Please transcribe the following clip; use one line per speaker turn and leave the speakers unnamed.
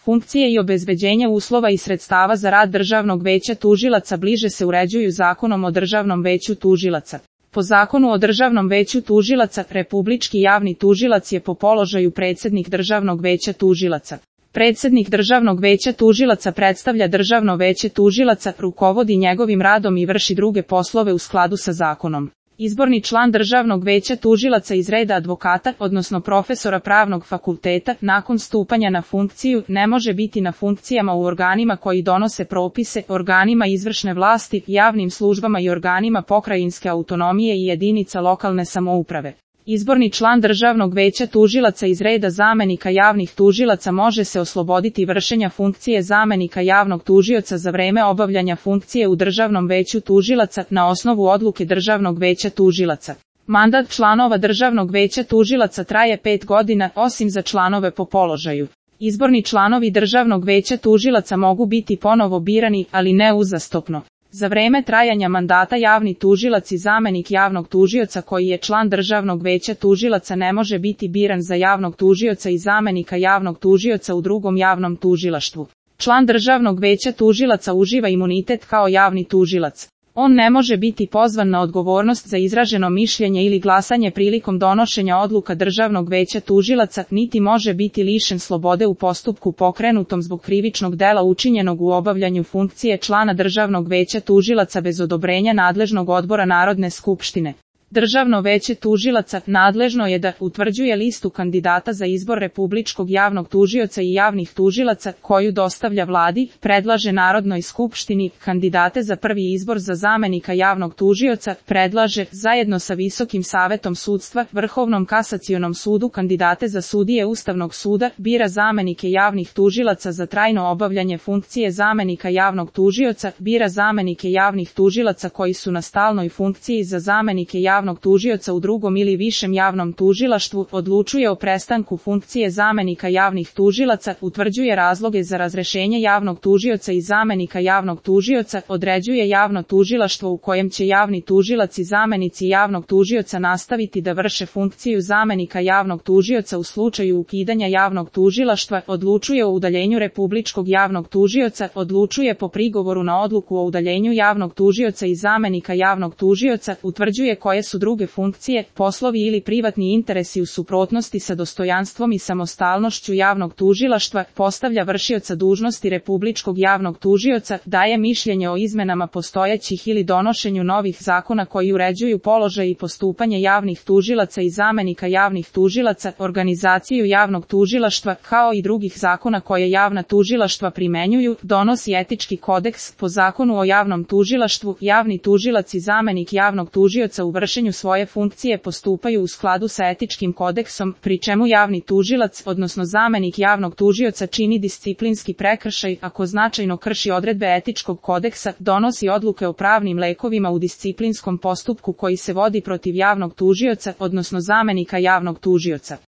Funkcije i obezbeđenje uslova i sredstava za rad Državnog veća tužilaca bliže se uređuju Zakonom o Državnom veću tužilaca. Po Zakonu o Državnom veću tužilaca, republički javni tužilac je po položaju predsjednik Državnog veća tužilaca. Predsjednik Državnog veća tužilaca predstavlja Državno veće tužilaca, rukovodi njegovim radom i vrši druge poslove u skladu sa zakonom. Izborni član Državnog veća tužilaca iz reda advokata, odnosno profesora pravnog fakulteta, nakon stupanja na funkciju, ne može biti na funkcijama u organima koji donose propise, organima izvršne vlasti, javnim službama i organima pokrajinske autonomije i jedinica lokalne samouprave. Izborni član Državnog veća tužilaca iz reda zamenika javnih tužilaca može se osloboditi vršenja funkcije zamenika javnog tužioca za vreme obavljanja funkcije u Državnom veću tužilaca na osnovu odluke Državnog veća tužilaca. Mandat članova Državnog veća tužilaca traje 5 godina, osim za članove po položaju. Izborni članovi Državnog veća tužilaca mogu biti ponovo birani, ali ne uzastopno. Za vreme trajanja mandata javni tužilac i zamenik javnog tužioca koji je član Državnog veća tužilaca ne može biti biran za javnog tužioca i zamenika javnog tužioca u drugom javnom tužilaštvu. Član Državnog veća tužilaca uživa imunitet kao javni tužilac. On ne može biti pozvan na odgovornost za izraženo mišljenje ili glasanje prilikom donošenja odluka Državnog veća tužilaca, niti može biti lišen slobode u postupku pokrenutom zbog krivičnog dela učinjenog u obavljanju funkcije člana Državnog veća tužilaca bez odobrenja nadležnog odbora Narodne skupštine. Državno veće tužilaca nadležno je da utvrđuje listu kandidata za izbor republičkog javnog tužioca i javnih tužilaca, koju dostavlja vladi, predlaže Narodnoj skupštini, kandidate za prvi izbor za zamenika javnog tužioca, predlaže, zajedno sa Visokim savetom sudstva, Vrhovnom kasacionom sudu kandidate za sudije Ustavnog suda, bira zamenike javnih tužilaca za trajno obavljanje funkcije zamenika javnog tužioca, bira zamenike javnih tužilaca koji su na stalnoj funkciji za zamenike javnog tužioca u drugom ili višem javnom tužilaštvu, odlučuje o prestanku funkcije zamenika javnih tužilaca, utvrđuje razloge za razrešenje javnog tužioca i zamenika javnog tužioca, određuje javno tužilaštvo u kojem će javni tužilac i zamenici javnog tužioca nastaviti da vrše funkciju zamenika javnog tužioca u slučaju ukidanja javnog tužilaštva, odlučuje o udaljenju republičkog javnog tužioca, odlučuje po prigovoru na odluku o udaljenju javnog tužioca i zamenika javnog tužioca, utvrđuje koje su druge funkcije, poslovi ili privatni interesi u suprotnosti sa dostojanstvom i samostalnošću javnog tužilaštva, postavlja vršioca dužnosti republičkog javnog tužioca, daje mišljenje o izmenama postojećih ili donošenju novih zakona koji uređuju položaj i postupanje javnih tužilaca i zamenika javnih tužilaca, organizaciju javnog tužilaštva, kao i drugih zakona koje javna tužilaštva primenjuju, donosi etički kodeks. Po Zakonu o javnom tužilaštvu, javni tužilac i zamenik javnog tužioca u vršenju svoje funkcije postupaju u skladu sa etičkim kodeksom, pri čemu javni tužilac, odnosno zamenik javnog tužioca čini disciplinski prekršaj ako značajno krši odredbe etičkog kodeksa, donosi odluke o pravnim lekovima u disciplinskom postupku koji se vodi protiv javnog tužioca, odnosno zamenika javnog tužioca.